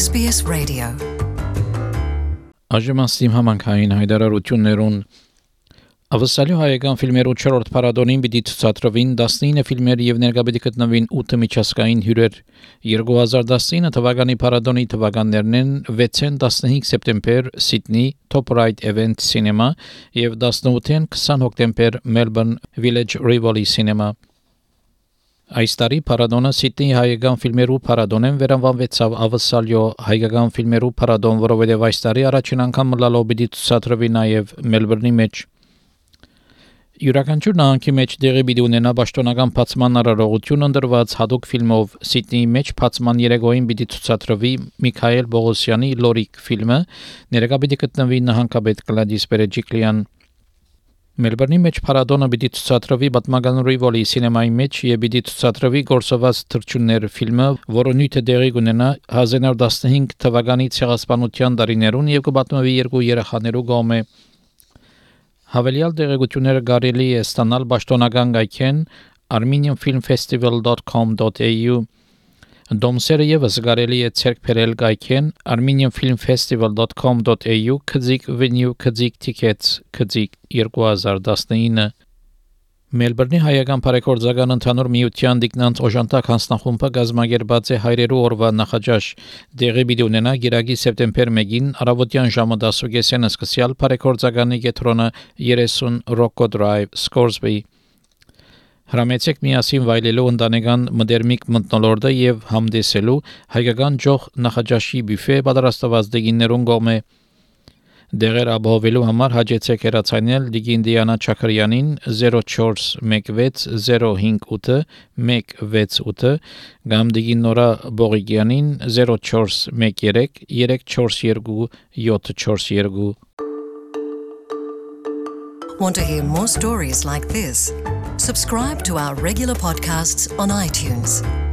SBS Radio. Աժմաստիմ համանքային հայտարարություններուն Ավսալյո հայկական ֆիլմերու 4-րդ փառատոնին պիտի ցուցադրվին 19 ֆիլմեր եւ ներկա պիտի գտնվին 8 միջազգային հյուրեր 2019 թվականի փառատոնի թվականներն են 6-ին 15 սեպտեմբեր Սիդնի Top Right Event Cinema եւ 18-ին 20 հոկտեմբեր Melbourne Village Rivoli Cinema Այս տարի փառատոնը Սիդնի հայկական ֆիլմերու փառատոնեն վերանվանվեցավ Ավսալյո հայկական ֆիլմերու փառատոն, որովհետև այս տարի առաջին անգամ լալով պիտի ցուցադրվի նաև Մելբուրնի մեջ Յուրաքանչյուր նահանգի մեջ դեղի պիտի ունենա պաշտոնական բացման արարողություն ընդրված հատուկ ֆիլմով Սիդնեի մեջ բացման երեկոյին պիտի ցուցադրվի Միքայել Բողոսյանի Լորիկ ֆիլմը ներկա պիտի գտնվի նահանգապետ Գլադիս Բերեջիկլյան Մելբուրնի մեջ փառատոնը պիտի ցուցադրվի պատմական Rivoli Cinema-ի մեջ եւ պիտի ցուցադրվի գործված թռչուններ ֆիլմը, որը նույնը դեղի կունենա 1915 թվականի ցեղասպանության տարիներուն եւ կպատմվի երկու երեխաներու կողմէ Հավելյալ տեղեկությունները կարելի է ստանալ պաշտոնական գայքեն armenianfilmfestival.com.au Դոմսերը եւս կարելի է ցերկ բերել գայքեն armenianfilmfestival.com.au venue tickets 2019 Մելբուրնի հայկական բարեգործական ընդհանուր միության դիկնանց օժանդակ հանձնախումբը գազմագերբած է հայրերու օրվա նախաճաշ դեղի պիտի ունենա գիրագի սեպտեմբեր 1-ին առավոտյան ժամը 10:30-ին սկսյալ բարեգործականի կետրոնը 30 Rocco Drive Scoresby Հրամեցեք միասին վայելելու ընտանեկան մդերմիկ մթնոլորտը եւ համդեսելու հայկական ջող նախաճաշի բյուֆե պատրաստված դեգիններուն կողմէ Դեղեր ապահովելու համար հաջեցեք հեռացանել Դիգին Դիանա Չաքրյանին 0416 058 168 կամ Դիգին Նորա Բողիկյանին 0413 342 742 Want to hear more stories like this? Subscribe to our regular podcasts on iTunes.